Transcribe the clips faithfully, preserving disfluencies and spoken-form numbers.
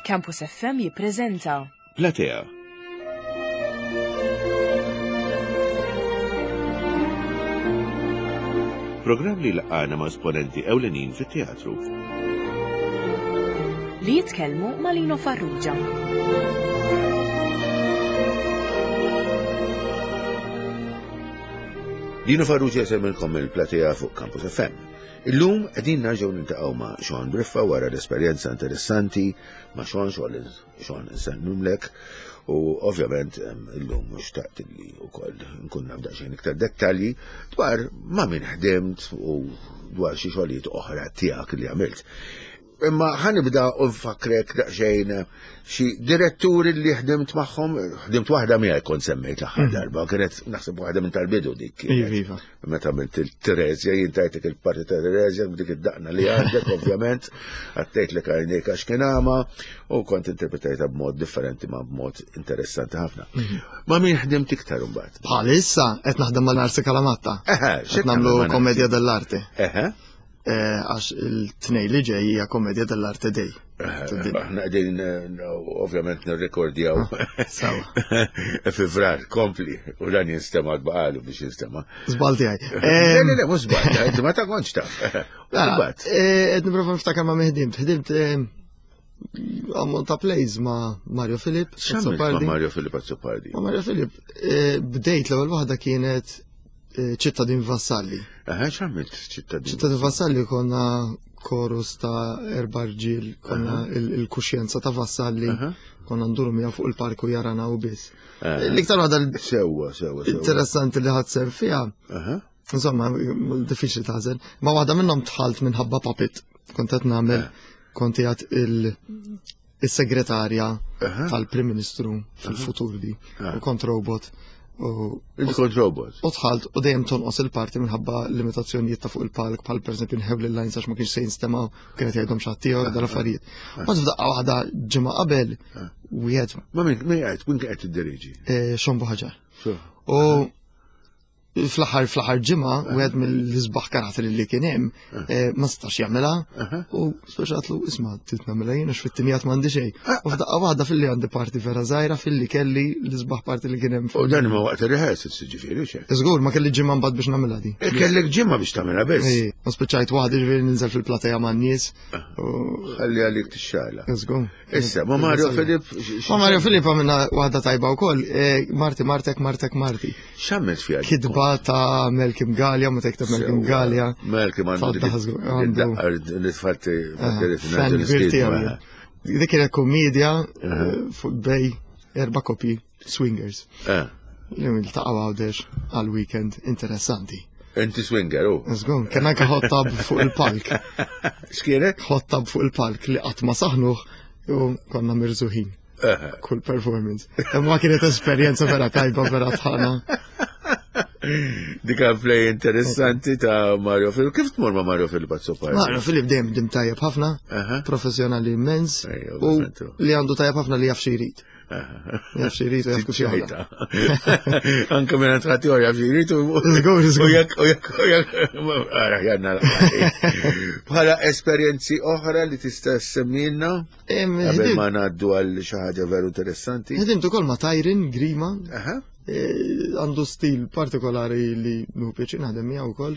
Campus F M jippreżenta Platea. Programm li laqana ma' esponenti ewlenin fit-teatru. Li jitkellmu ma' Lino Farrugia. Lino Farrugia jsemmilkom il-Platea fuq Campus F M. Illum qegħdin nerġgħu niltaqgħu ma' Sean Briffa wara l-esperjenza interessanti ma' Sean. Sean Sean insellmulek u ovvjament em, illum xtaqt li wkoll nkun naf daqsxejn iktar dettalji dwar ma' min ħdimt u dwar xi xogħlijiet oħra tiegħek li għamilt. Imma ħa nibda u nfakrek daqsxejn xi diretturi li ħdimt magħhom, ħdimt waħda miegħek kont semmejt l-aħħar darba, kienet naħseb waħda minn tal-bidu dik kienet. Iva, iva. Meta għamilt il-Terezja, jien tajtek il-parti ta' Terezja, b'dik id-daqna li għandek, ovvjament, għattejt li għajnejk għax kien għama, u kont interpretajta b'mod differenti ma b'mod interessanti ħafna. Ma' min ħdimt iktar imbagħad? Bħalissa qed naħdem ma' Narsi Calamatta. Eħe, Qed nagħmlu ma' Narsi? Komedja dell'arte. Eħe, Eh, Għax il-Tnejn li ġej hija Komedja dell'Arte Day. Aħna qegħdin eh, ovvjament nirrekordjaw Sawa. fi Frar, kompli, u dan jinstema' baqalu biex jinstema'. Żball tiegħi. Le, le, le, mhux żball, inti ma ta' kontx taf. Imbagħad. Qed nipprova niftakar ma' min ħdimt. Ħdimt eh, ammont ta' plays ma' Mario Filip. X'għamilt ma' Azzopardi. Mario Filip Azzopardi? Ma' Mario Filip, eh, bdejt l-ewwel waħda kienet eh, Ċittadin Vassalli. Eħe, x'għamilt Ċittadin? Ċittadin Vassalli konna korus ta' erba' rġiel, konna il- il-kuxjenza ta' Vassalli, Aha. konna nduru miegħu fuq il-parku jarana u biss. Eh. L-iktar waħda Sewwa, sewwa, sewwa. interessanti li ħadt sehem fiha, Aha. insomma, diffiċli tażel, ma waħda minnhom dħalt minħabba puppet. Kont qed nagħmel, kont qiegħed il- il-segretarja Aha. tal-Prim Ministru fil-futur di, Ah. u kont robot. U Inti kont robot. U dħalt u dejjem tonqos il-parti minħabba limitazzjonijiet ta' fuq il-palk, bħal pereżempju nħew l-lines għax ma kienx se jinstema' kienet jgħidhom xi ħadd ieħor dal-affarijiet. Mbagħad f'daqqa waħda ġimgħa qabel wieħed Ma min min qed min qed tiddiriġi? eh, Sean Buhagiar. So. U fl-aħħar fl-aħħar ġimgħa wieħed mill-isbaħ karatteri li kien hemm eh, ma setax jagħmilha u speċatlu, "Isma', trid nagħmilha jien għax fit-timjat m'għandi xejn." U f'daqqa waħda filli għandi parti vera żgħira filli kelli l-isbaħ parti li kien hemm. U dan ma waqt il-rehearsals ġifieri xek. Żgur, ma kelli ġimgħa mbagħad biex nagħmilha di. E kellek ġimgħa biex tagħmilha biss. Ej, ma spiċċajt waħdi, ġifieri ninżel fil-plateja ma' nies. U Ħalli għalik tixxala. Żgur. Issa, ma Mario Filip. Ma Mario Filip għamilna waħda tajba wkoll, eh, Marti Martek Martek Marti. X'għamilt fiha? Kitba ta' Malcolm Galea, meta jikteb Malcolm Galea. Malcolm għandu Tadda żgur, għandu- id-daqqa li tfatti. Fan kbir tiegħu jien. Dik kienet komedja eh, fuq bej erba' koppji swingers li iltaqgħu Għawdex għal weekend interessanti. Inti swinger, u. Żgur, kien anke hot tub fuq il-palk. X'kienet? Hot tub fuq il-palk li qatt ma saħnuh u konna mirżuħin kull performance. Imma kienet esperjenza vera tajba, vera tħana. Dika play interessanti ta' Mario Filip. Kif tmur ma' Mario Filip Azzopardi? Mario Filip dejjem dim tajjeb ħafna, Aha. professjonali immens Ejja, u ovvjament. li għandu tajjeb ħafna li jaf xi jrid. Jaf xi jrid u jaf kif jagħmel. Anke minn għatħati għor jaf jrid u. Żgur, żgur. U jekk, u jekk, u jekk, ara, janna. Bħala esperjenzi oħra li tista' semmilna? Em, Qabel ħdimt- ma ngħaddu għal xi ħaġa veru interessanti. Ħdimt ukoll ma' Tyron Grima, Aha. eh, għandu stil partikolari li nieħu pjaċir naħdem miegħu wkoll.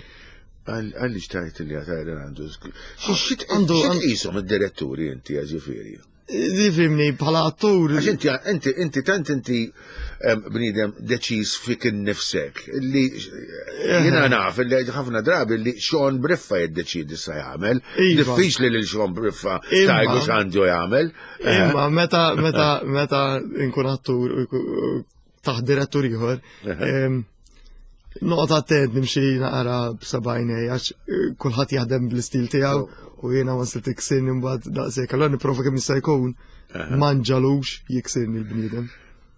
Għalli xtajt li għatajra għandu. Għandu- Għandu. X'tqishom id-diretturi inti ġifieri? Tifhimni bħala attur. Għax inti, inti, inti, tant inti em, bniedem deċiż fik innifsek li jiena naf li ħafna drabi li Sean Briffa jiddeċidi sa jagħmel. Iva. Diffiċli li Sean Briffa Imma- tgħidu x'għandu jagħmel. Imma meta meta meta nkun attur u jku- u taħt direttur ieħor, em, noqgħod attent nimxi naqra b'sebgħajnej għax eh, kulħadd jaħdem bl-istil tiegħu u jiena once li tiksirni mbagħad daqshekk. Allura nipprova kemm jista' jkun ma nġalux jiksirni l-bniedem.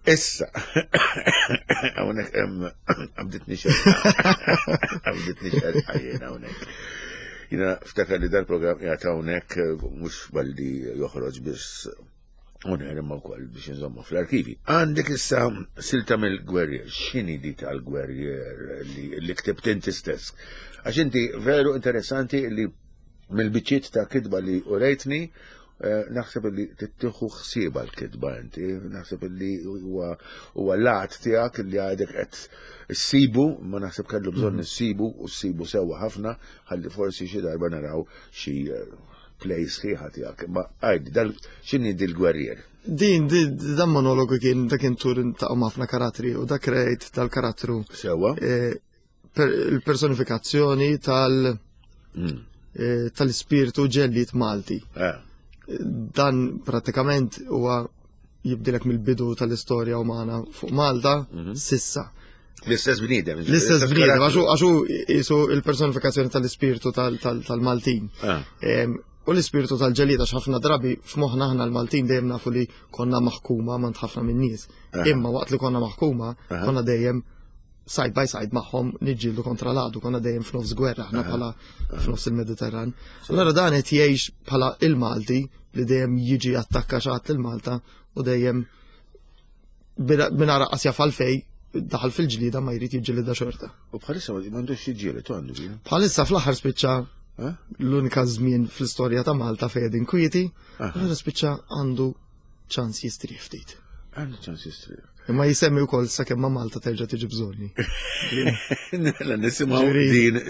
Issa, hawnhekk hemm qabditni xerqa. Qabditni xerqa jiena hawnhekk. Jiena ftakar li dal-programm qiegħed hawnhekk eh, mhux balli joħroġ biss on air imma wkoll biex nżommu fl-arkivi. Għandek issa silta mill-Gwerrier, x'inhi di tal-Gwerrier li, li ktibt inti stess? Għax inti veru interessanti li mill-biċċiet ta' kitba li urejtni Naħseb li tittieħu ħsieba l-kitba inti, naħseb li huwa l-art tiegħek li għadek qed issibu, ma naħseb kellu bżonn issibu u ssibu sewwa ħafna ħalli forsi xi darba naraw xi play sħiħa tiegħek. Ma għajdi, dal x'inhi dil-gwerrier? Din, dan monologu kien dak kien tur ta' ħafna karattri u dak rejt tal-karattru. Sewwa? Il-personifikazzjoni tal- tal-ispirtu ġellied Malti. Dan pratikament huwa jibdilek mill-bidu tal-istorja umana fuq Malta sissa. L-istess bniedem. L-istess bniedem, għaxu jisu il-personifikazzjoni tal-ispirtu tal-Maltin. U l-ispirtu tal-ġellied, għax ħafna drabi f'moħħna aħna l-Maltin dejjem nafu li konna maħkuma mant ħafna minn nies. Imma waqt li konna maħkuma, konna dejjem side by side magħhom niġġieldu kontra l-għadu, konna dejjem f'nofs gwerra aħna bħala f'nofs il-Mediterran. Allora dan qed jgħix bħala il-Malti li dejjem jiġi attakka xi ħadd il-Malta u dejjem mingħajr qas jaf għalfej daħal fil-ġlieda ma jrid jiġġielida xorta. U bħalissa m'għandux jiġġieled, tu għandu ġieli? Bħalissa fl-aħħar spiċċa l-unika żmien fl-istorja ta' Malta fejn qegħdin kwieti, allura spiċċa għandu ċans jistrieħ ftit. Għandu ċans jistrieħ. Imma jisemmi wkoll sakemm ma' Malta terġa' tiġi bżonni. Mela nisimgħu din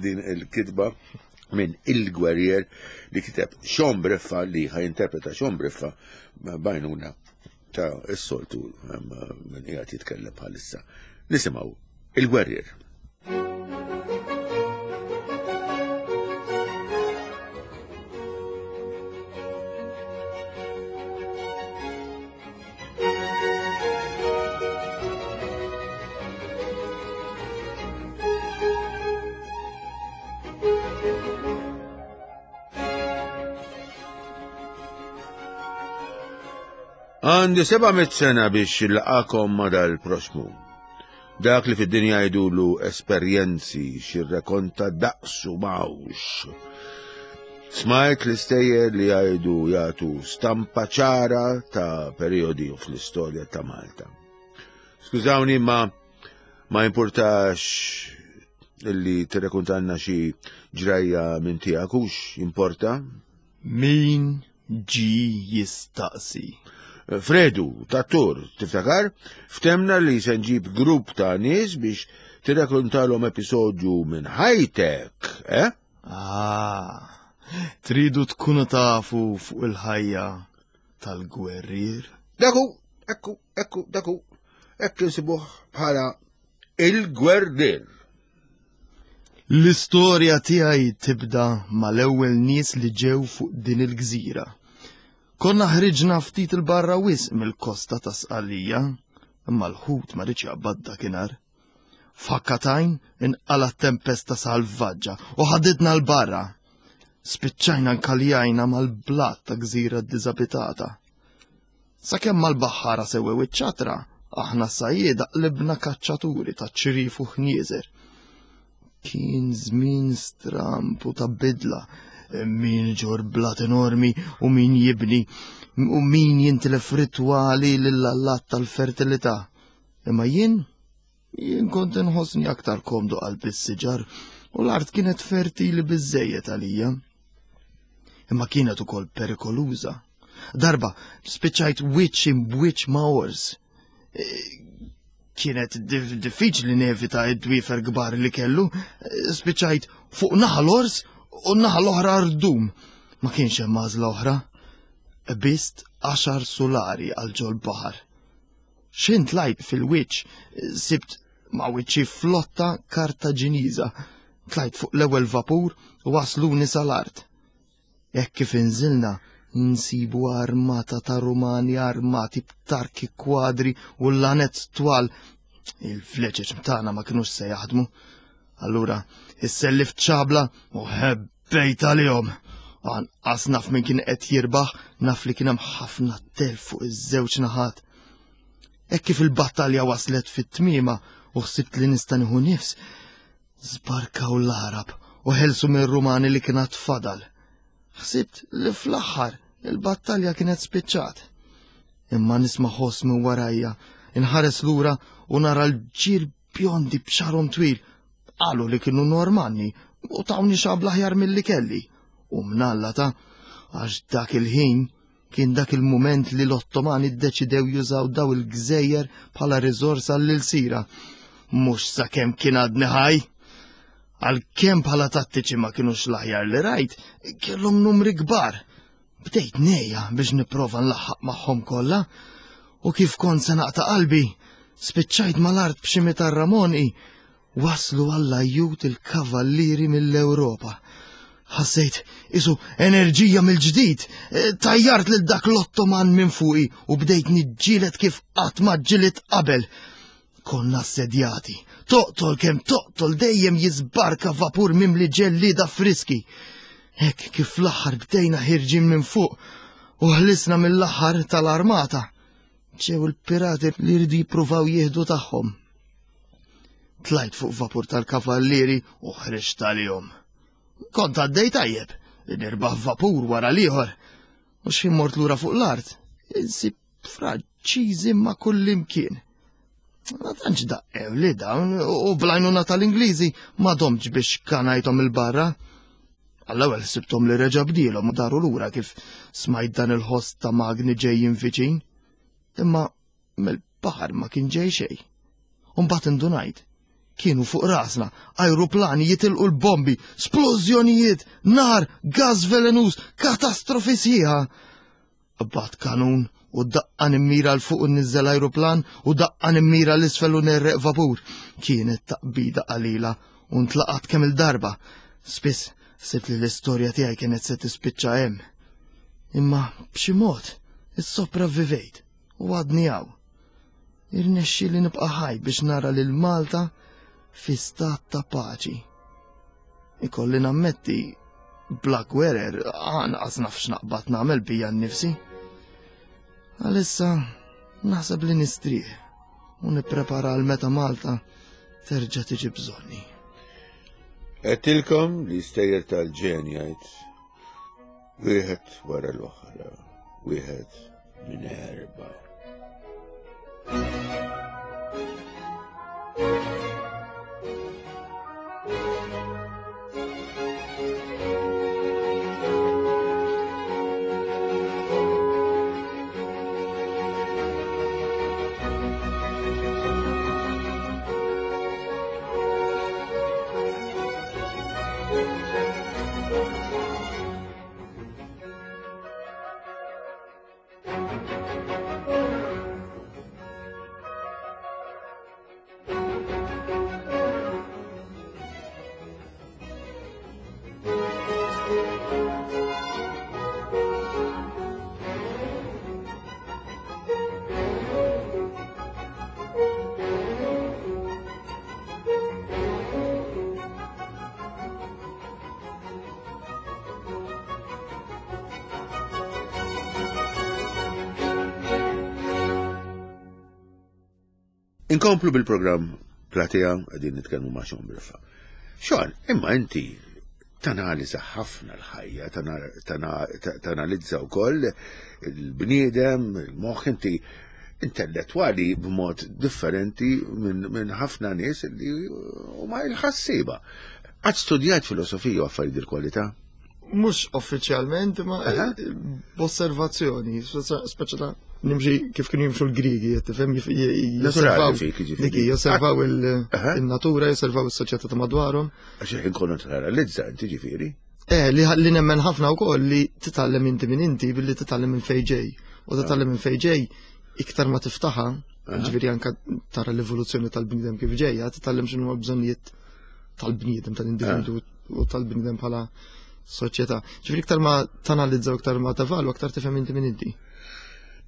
din il-kitba minn Il-Gwerrier li kiteb Sean Briffa li ħajinterpreta Sean Briffa bajnuna ta' s-soltu minn qiegħed jitkellem bħalissa. Nisimgħu Il-Gwerrier. Għandi seba' mitt sena biex laqakom ma dal-proxmu. Dak li fid-dinja jgħidulu esperjenzi xirrekonta daqsu mawx. Smajt l-istejjer li jgħidu jagħtu stampa ċara ta' periodi fl-istorja ta' Malta. Skużawni ma ma importax li tirrekontanna xi ġrajja minn tiegħek hux importa? Min ġi jistaqsi? Fredu, tattur, tiftakar? Ftemna li se nġib grupp ta' nies biex tirrakontalhom episodju minn ħajtek, eh? Ah, tridu tkunu tafu fuq il-ħajja tal-gwerrier? Daku, ekku, ekku, daku, ekku insibuh bħala il-gwerrier. L-istorja tiegħi tibda mal-ewwel nies li ġew fuq din il-gżira. Konna ħriġna ftit il-barra wisq mill-kosta ta' Sqallija, imma l-ħut ma riedx jaqbad dakinhar. F'ħakkatajn inqala tempesta salvaġġa u ħaditna l-barra. Spiċċajna nkaljajna mal-blat ta' gżira diżabitata. Sakemm mal-baħħara sewwew iċ-ċatra, aħna sajjieda qlibna kaċċaturi ta' ċrif u ħnieżer. Kien żmien stramp u ta' bidla. Min ġor blat enormi u min jibni u min jintilef ritwali lill-allat tal-fertilità. Imma jien, jien kont inħossni aktar komdu qalb is-siġar u l-art kienet fertili biżżejjed għalija. Imma kienet ukoll perikoluża. Darba spiċċajt wiċċ imbwiċċ ma' ors. Kienet diffiċli nevita id-dwiefer kbar li kellu, spiċċajt fuq naħa l-ors u naħa l-oħra rdum. Ma kienx hemm għażla oħra. Bist għaxar sulari għal ġol baħar. X'int tlajt fil-wiċċ, sibt ma' wiċċi flotta Kartaġiniża. Tlajt fuq l-ewwel vapur u wasluni sal-art. Hekk kif inżilna, nsibu armata ta' Rumani armati b'tarki kwadri u lanet twal. Il-vleġeġ tagħna ma kinux se jaħdmu. Allura, issellift ċabla u ħebbejt għalihom. Anqas naf min kien qed jirbaħ, naf li kien hemm ħafna telf fuq iż-żewġ naħat. Hekk kif il-battalja waslet fit-tmiema u ħsibt li nista' nieħu nifs, żbarkaw l-Arab u ħelsu mir-Rumani li kien għad fadal. Ħsibt li fl-aħħar il-battalja kienet spiċċat. Imma nisma' ħoss minn warajja, inħares lura u nara l-ġir bjondi b'xarhom twil. Qalu li kienu Normanni u tawni xabla aħjar milli kelli. U mnalla ta' Għax dak il-ħin kien dak il-mument li l-Ottomani ddeċidew jużaw daw il-gżejjer bħala riżorsa l-ilsira. Mhux sakemm kien għadni ħaj. Għalkemm bħala tattiċi ma kinux l-aħjar li rajt, kellhom numri kbar. Bdejt nejja biex nipprova nlaħħaq magħhom kollha. U kif kont se naqta' qalbi, spiċċajt mal-art b'xi mitarra monqi, waslu għall-ajjut il-kavallieri mill-Ewropa. Ħassejt isu enerġija mill-ġdid, tajjart lil dak l-Ottoman minn fuqi u bdejt niġġieled kif qatt ma ġġielidt qabel. Konna assedjati, toqtol kemm toqtol dejjem jiżbarka vapur mimli ġellieda friski. Hekk kif fl-aħħar bdejna ħirġin minn fuq u ħlisna mill-aħħar tal-armata. Ġew il-pirati li jridu jippruvaw jieħdu tagħhom. Tlajt fuq vapur tal-kavallieri u ħriġt għalihom. Kont għaddej tajjeb, nirbaħ vapur wara l-ieħor. U x'ħin mort lura fuq l-art, insib Franċiżi ma' kullimkien. Ma tantx daqqew li dawn u bl-għajnuna tal-Ingliżi ma domtx biex kanajthom il-barra. Għall-ewwel ħsibthom li reġa' bdielhom u daru lura kif smajt dan il-ħoss ta' magni ġejjin viċin. Imma mill-baħar ma kien ġej xejn. U mbagħad indunajt. Kienu fuq rasna, ajruplani jitilqu l-bombi, splużjonijiet, nar, gas velenuż, katastrofi sħiħa. Qbad kanun u daqqa nimmira 'l fuq u nniżżel ajruplan u daqqa nimmira 'l isfel u nerreq vapur. Kienet taqbida qalila u ntlaqat kemm il-darba. Spiss sibt li l-istorja tiegħi kienet se tispiċċa hemm. Imma b'xi mod issopravvivejt u għadni hawn. Irnexxieli nibqa' ħaj biex nara lil Malta fi stat ta' paċi. Ikolli nammetti, bla gwerer, anqas naf x'naqbad nagħmel bija nnifsi. Għalissa naħseb li nistrieħ u nipprepara għal meta Malta terġa' tiġi bżonni. Għedtilkom li stejjer tal-ġen jgħid wieħed wara l-oħra, wieħed minn erba'. Inkomplu bil-programm Platea, qegħdin nitkellmu ma' Sean Briffa. Sean, imma inti tanalizza ħafna l-ħajja, tanalizza wkoll il-bniedem, il-moħħ, inti intellettwali b'mod differenti minn ħafna nies li huma il-ħassieba. Qatt studjajt filosofija u affarijiet il-kwalità? Mhux uffiċjalment, ma b'osservazzjoni, speċa ta' nimxi kif kienu jimxu l-Grigi, tifhem, josservaw dik, josservaw il-natura, josservaw is-soċjetà ta' madwarhom. Għax jekk inkunu tanalizza inti ġifieri. Eh, li nemmen ħafna wkoll li titgħallem inti minn inti billi titgħallem minn fejn ġej. U titgħallem minn fejn ġej iktar ma tiftaħha, ġifieri anke tara l-evoluzzjoni tal-bniedem kif ġejja, titgħallem x'inhu bżonnijiet tal-bniedem, tal-individu u tal-bniedem bħala soċjetà. Ġifieri iktar ma tanalizza u iktar ma tevalwa, aktar tifhem inti minn inti.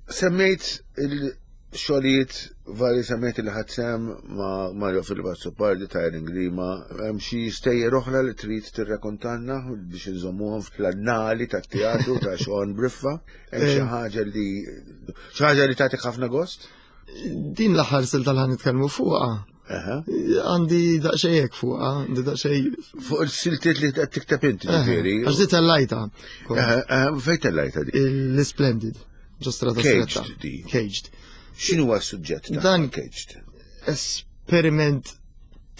Semmejt il-xogħlijiet vari, semmejt li ħadd sehem ma' Mario Philip Azzopardi ta' Erin Grima, hemm xi stejjer oħra li trid tirrakontanna biex inżommuhom fl-annali tat-teatru ta' Sean Briffa? Hemm xi ħaġa li xi ħaġa li tagħtik ħafna gost? Din l-aħħar silta li ħa nitkellmu fuqha. Għandi daqsxejn hekk fuqha, għandi daqsxejn fuq il-siltiet li qed tikteb inti ġifieri. Għax di tellajta. Fejn tellajta di? L-Splendid. Ġo strada stretta. Caged di. Caged. X'inhu huwa s-suġġett ta' Dan Caged? Esperiment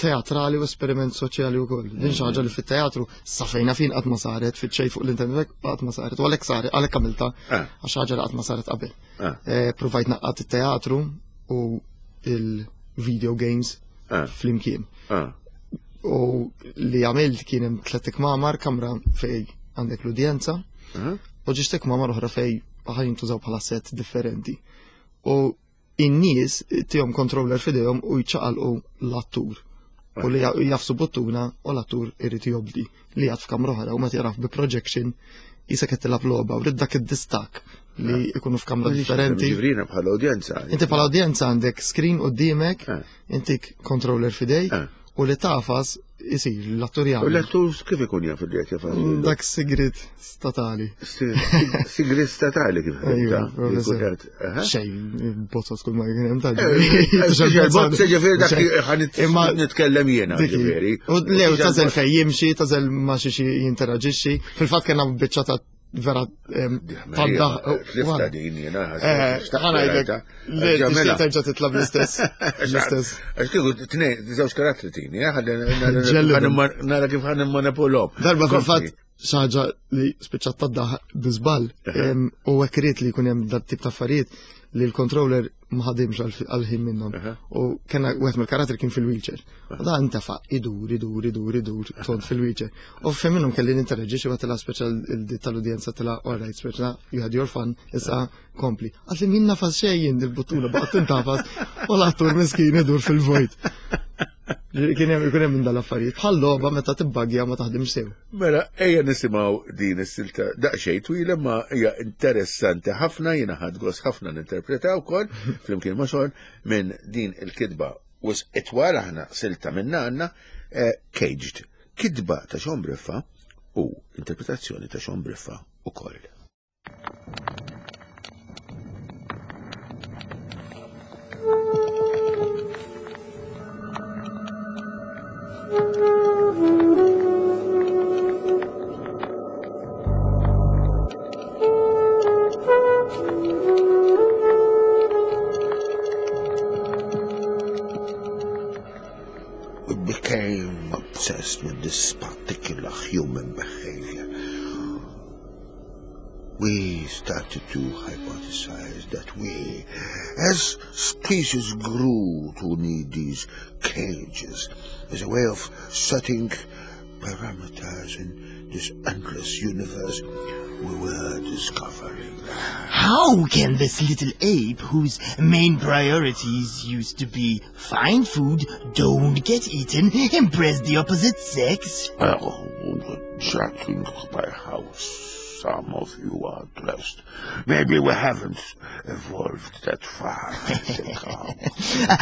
teatrali u esperiment soċjali wkoll. Din xi ħaġa li fit-teatru sa fejna fin qatt ma saret, fit-xejn fuq l-internet qatt ma saret, u għalhekk saret, għalhekk għamilta għax ħaġa li qatt ma saret qabel. Provajt naqqat it-teatru u il-video games flimkien. U li għamilt kien hemm tliet ikmamar, kamra fej għandek l-udjenza, u ġiex ikmamar oħra fej ħa jintużaw bħala set differenti. U in-nies tihom controller f'idejhom u jċaqalqu l-attur. U li jagħfsu buttuna u l-attur irid jobdi li jgħad f'kamra oħra u meta jaraf bi projection jisa qed tilgħab logħba u rrid dak id-distak li jkunu f'kamra differenti. Ġivrina bħala udjenza. Inti bħala udjenza għandek screen qudiemek, intik controller f'idejk u li tafas isir l-attur jagħmel. U l-attur kif ikun jaf li qed jafas? Dak sigrit statali. Sigrit statali kif Xejn, bozzot kull ma jkun hemm tal. Bozza ġifieri dak ħa nitkellem jiena ġifieri. U lew tażel fejn jimxi, tażel ma xi xi jinteraġixxi. Fil-fatt kellna biċċa ta' vera tadda. Lifta din jiena. Ħanajdlek. Le, terġa' titla' bl-istess. L-istess. Għax kieku tnejn, żewġ karattri tini, nara kif ħa nimmanipulhom. Darba fil-fatt xi ħaġa li spiċċat tadda bi żball u hekk irid li jkun hemm dat tip ta' affarijiet li l-controller ma ħadimx għal-ħin minnhom. U kena wieħed mill-karattri kien fil-wheelchair. U da intefa' idur, idur, idur, idur, tond fil-wheelchair. U fejn minnhom kelli ninteraġixxi waqt tilha speċjal tal-udjenza tilha all right, speċjal you had your fun, issa kompli. Għax li min nafas xejn il-buttuna baqgħet tintafas u l-attur miskin idur fil-vojt. Kien hemm ikun hemm minn dal-affarijiet. Bħal logħba meta tibbaggja ma taħdimx sew. Mela, ejja nisimgħu din is-silta daqsxejn twila ma hija interessanti ħafna, jiena ħadt gost ħafna ninterpretaw ukoll flimkien ma' Sean minn din il-kitba wisq itwal aħna silta minna għandna Caged. Kitba ta' Sean Briffa u interpretazzjoni ta' Sean Briffa ukoll. We became obsessed with this particular human behavior. We started to hypothesize that we, as species, grew to need these cages as a way of setting parameters in this endless universe we were discovering. How can this little ape, whose main priorities used to be find food, don't get eaten, impress the opposite sex? Well, judging by how some of you are dressed, maybe we haven't evolved that far.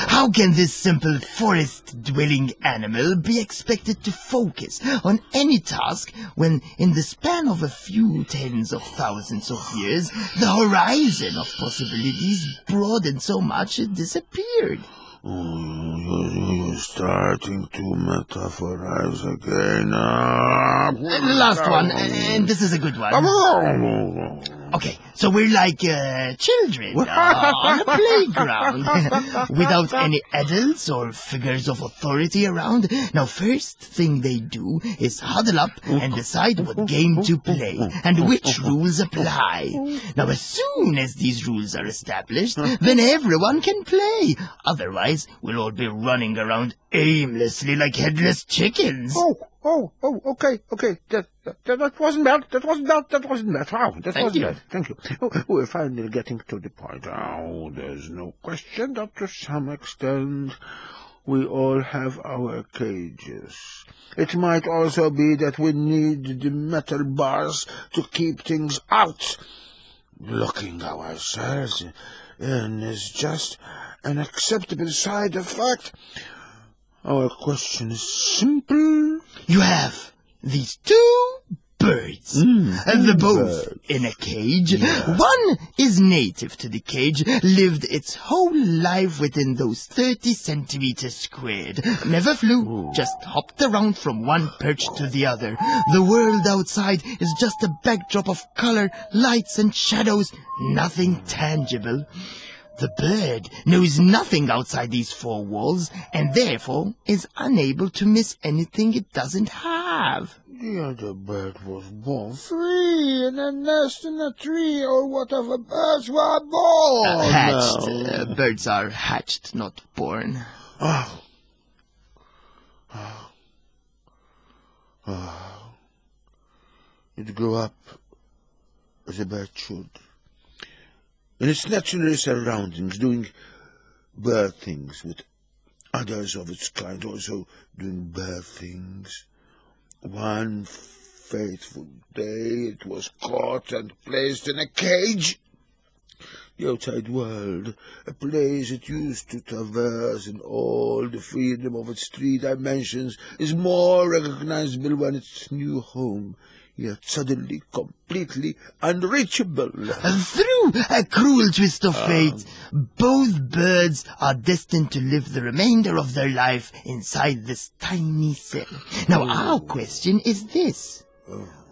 How can this simple forest-dwelling animal be expected to focus on any task when, in the span of a few tens of thousands of years, the horizon of possibilities broadened so much it disappeared? Oh, you're starting to metaphorize again. Uh, Last one, and this is a good one. Okay, so we're like uh, children uh, on a playground without any adults or figures of authority around. Now, first thing they do is huddle up and decide what game to play and which rules apply. Now, as soon as these rules are established, then everyone can play. Otherwise, we'll all be running around aimlessly like headless chickens. Oh, oh, oh, okay, okay. That, that, that wasn't bad. That wasn't bad. That wasn't bad. Wow, that Thank wasn't you. bad. Thank you. Oh, we're finally getting to the point. Oh, there's no question that to some extent we all have our cages. It might also be that we need the metal bars to keep things out. Looking ourselves in is just an acceptable side effect. Our question is simple. You have these two birds, and they're both in a cage. One is native to the cage, lived its whole life within those thirty centimeters squared. Never flew, just hopped around from one perch to the other. The world outside is just a backdrop of color, lights and shadows, nothing tangible. The bird knows nothing outside these four walls and therefore is unable to miss anything it doesn't have. The other bird was born free in a nest in a tree or whatever birds were born. Uh, hatched. Uh, birds are hatched, not born. Oh. Oh. Oh. It grew up as a bird should, in its natural surroundings, doing bird things with others of its kind also doing bird things. One fateful day it was caught and placed in a cage. The outside world, a place it used to traverse in all the freedom of its three dimensions, is more recognizable when its new home, yet suddenly completely unreachable. Through a cruel twist of fate, both birds are destined to live the remainder of their life inside this tiny cell. Now, our question is this.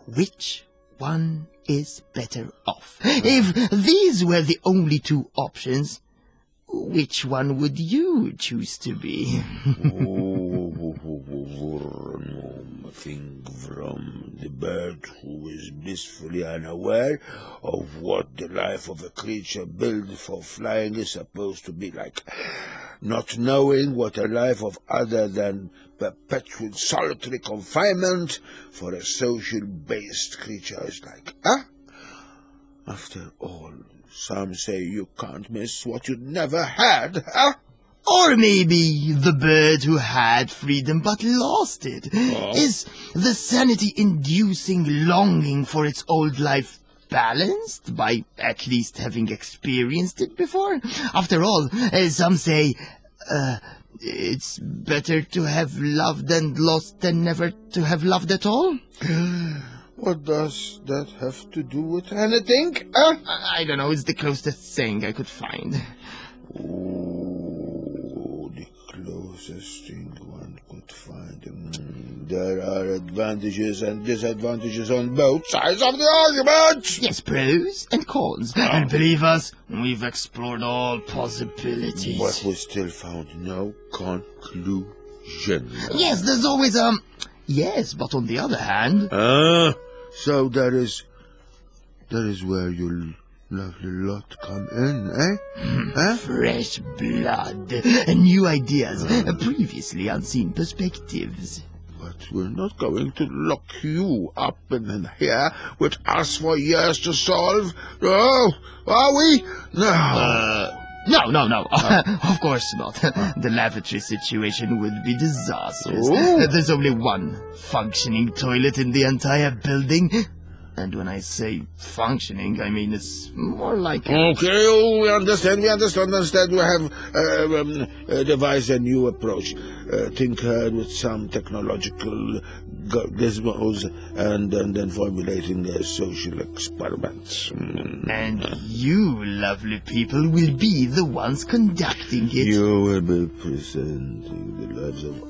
Which one is better off? If these were the only two options, which one would you choose to be? Think from the bird who is blissfully unaware of what the life of a creature built for flying is supposed to be like, not knowing what a life of other than perpetual solitary confinement for a social-based creature is like. Huh? After all, some say you can't miss what you never had, huh? Or maybe the bird who had freedom but lost it. Oh. Is the sanity-inducing longing for its old life balanced by at least having experienced it before? After all, uh, some say, uh, it's better to have loved and lost than never to have loved at all. What does that have to do with anything? Huh? I, I don't know, it's the closest thing I could find. Oh, the closest thing one could find. Mm, there are advantages and disadvantages on both sides of the argument. Yes, pros and cons. And believe us, we've explored all possibilities. But we still found no conclusion. Yes, there's always, um... Yes, but on the other hand... Ah, so there is... There is where you lovely lot come in, eh? eh? Fresh blood, new ideas, previously unseen perspectives. But we're not going to lock you up in here with us for years to solve. No, are we? No. Uh, no, no, no. Of course not. The lavatory situation would be disastrous. Oh. There's only one functioning toilet in the entire building. And when I say functioning, I mean it's more like... Okay, oh, we understand, we understand. Instead, we have uh, um, uh, devised a new approach, uh, tinkered with some technological gizmos, and, and then formulating a social experiment. Mm. And you, lovely people, will be the ones conducting it. You will be presenting the lives of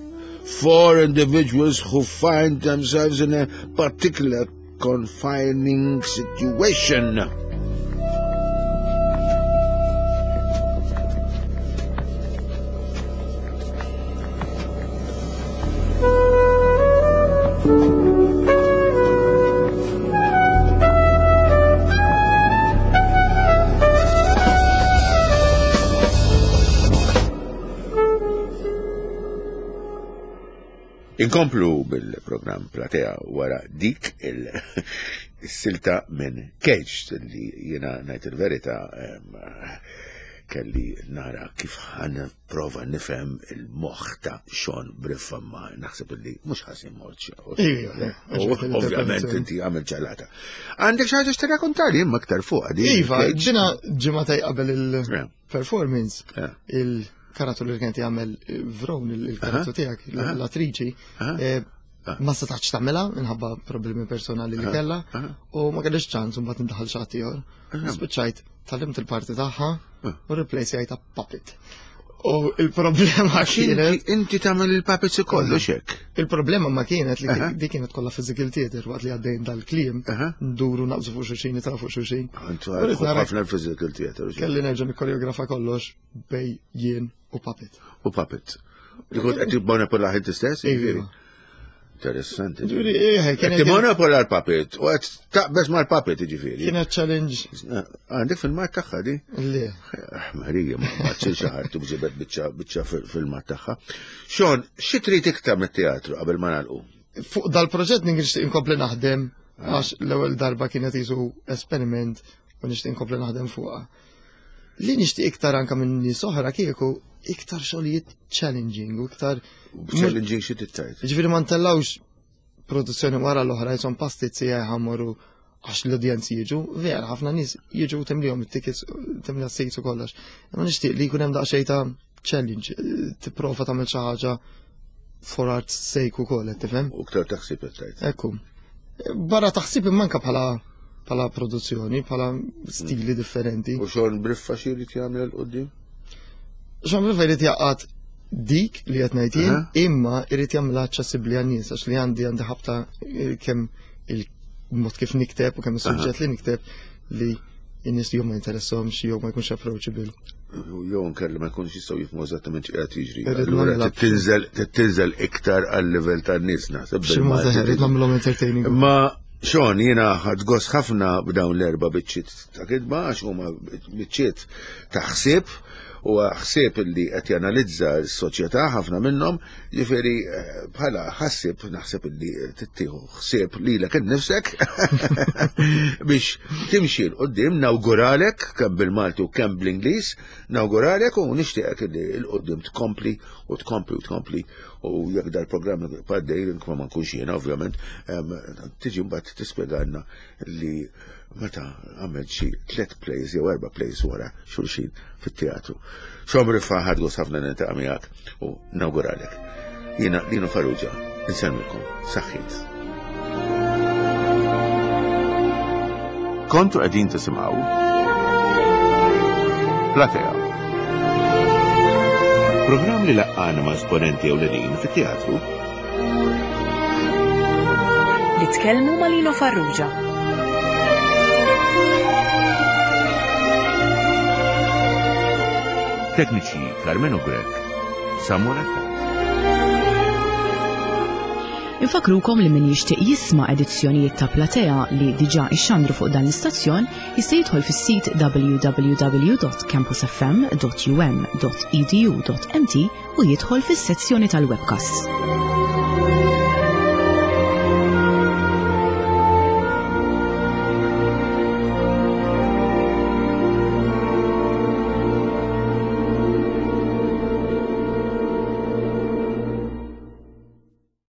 four individuals who find themselves in a particular confining situation. Inkomplu bil-program Platea wara dik il-silta minn Cage li jena najt il-verita kelli nara kif ħan prova nifhem il-moħħ ta' Sean Briffa, ma naħseb li mhux ħażin mort. Ovvjament inti għamil ġalata. Għandek xi ħaġa x'tirrakkontali imma aktar fuq għadi. Iva, ġina ġimgħa qabel il-performance il karattru li kien jagħmel Vron, il-karattru tiegħek, l-attriċi, ma setax tagħmilha minħabba problemi personali li kellha u ma kellix ċans u mbagħad indaħal xi ħadd ieħor. Spiċċajt tgħallimt il-parti tagħha u replace jgħidha puppet. U il-problema kienet. Inti tagħmel il-puppets kollu xek. Il-problema ma kienet li dik kienet kollha physical theater waqt li għaddejn dal-kliem, nduru naqbżu fuq xulxin, nitgħu fuq xulxin. Intu ħafna l-physical theater. Kelli nerġa' nikkoreografa kollox bej jien u puppet. U puppet. Li kont qed timmanipola inti stess? Jiġifieri. Interessanti. Qed timmanipola l-puppet u qed taqbeż mal-puppet jiġifieri. Kienet challenge. Għandek filmat tagħha di? Le. Marija, ma xi ħadd tibġibet biċċa biċċa filmat tagħha. Sean, xi trid iktar mit-teatru qabel ma nagħlqu? Fuq dal-proġett nixtieq inkompli naħdem għax l-ewwel darba kienet isu esperiment u nixtieq inkompli naħdem fuqha. Li nixtieq iktar anke minn nies oħra kieku iktar xogħlijiet challenging u iktar challenging xi tittajt. Jiġifieri ma ntellgħux produzzjoni wara l-oħra jisom pastizzi ħammorru għax l-udjenzi jiġu, vera ħafna nies jiġu timlihom it-tickets, timliha s-seats u kollox. Imma nixtieq li jkun hemm daqsxejn ta' challenge, tipprova tagħmel xi ħaġa for art's sake ukoll, qed tifhem? U iktar taħsib qed tgħid. Ekku. Barra taħsib imma anke bħala bħala produzzjoni, bħala stili differenti. U Sean Briffa xi jrid jagħmel 'l quddiem? Sean Briffa jrid jaqgħad dik li qed ngħid jien, imma jrid jagħmilha aċċessibbli għan-nies għax li għandi għandi ħabta kemm il-mod kif nikteb u kemm is-suġġett li nikteb li n-nies jew ma jinteressahomx jew ma jkunx approachable. Jew nkella ma jkunx jistgħu jifhmu eżattament x'qiegħed jiġri. Allura tinżel tinżel iktar għal-livell tan-nies naħseb. Xi mod irid nagħmilhom entertaining. Ma Sean, jiena ħadt gost ħafna b'dawn l-erba' biċċiet ta' kitba għax huma biċċiet ta' ħsieb u ħsieb li qed janalizza s-soċjetà ħafna minnhom, jiġifieri bħala ħassieb naħseb li tittieħu ħsieb lilek innifsek biex timxi 'l quddiem. Nawguralek kemm bil-Malti u kemm bl-Ingliż, nawguralek u nixtieqek li 'l quddiem tkompli u tkompli u tkompli u jekk dal-programm għaddej ma nkunx jiena ovvjament, tiġi mbagħad tispjegalna li meta għamel xi tliet plays jew erba' plays wara xulxin fit-teatru. Sean Briffa, ħadt gost ħafna niltaqa' miegħek u nawguralek. Jiena Lino Farrugia, insellmilkom. Saħħit. Kontu qegħdin tisimgħu Platea. Programm li laqqana ma' esponenti ewlenin fit-teatru. Li tkellmu ma' Lino Farrugia. Tekniċi Carmelo Grech, Samuel Attard. Infakrukom li min jixtieq jisma' edizzjonijiet ta' Platea li diġà ixxandru fuq dan l-istazzjon jista' jidħol fis-sit w w w dot campus f m dot u m dot e d u dot m t u jidħol fis-sezzjoni tal-webcast.